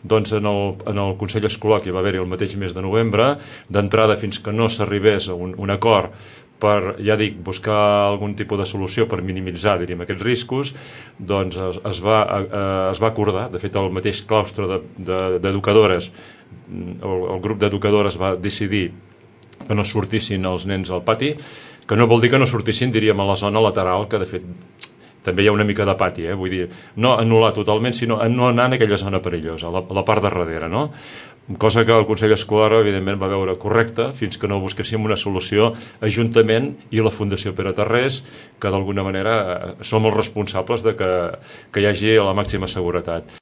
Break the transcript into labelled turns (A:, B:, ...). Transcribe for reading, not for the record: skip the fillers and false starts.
A: doncs en el Consell Escolar, que va haver-hi el mateix mes de novembre, d'entrada fins que no s'arribés a un acord per, ja dic, buscar algun tipus de solució per minimitzar, diríem, aquests riscos, doncs es va acordar. De fet, el mateix claustre d'educadores, el grup d'educadores va decidir que no sortissin els nens al pati, que no vol dir que no sortissin, diríem, a la zona lateral, que de fet també hi ha una mica de pati, vull dir, no anul·lar totalment, sinó no anar en aquella zona perillosa, a la part de darrere, no? Cosa que el Consell Escolar, evidentment, va veure correcta fins que no busquéssim una solució Ajuntament i la Fundació Pere Tarrés, que d'alguna manera som els responsables de que hi hagi la màxima seguretat.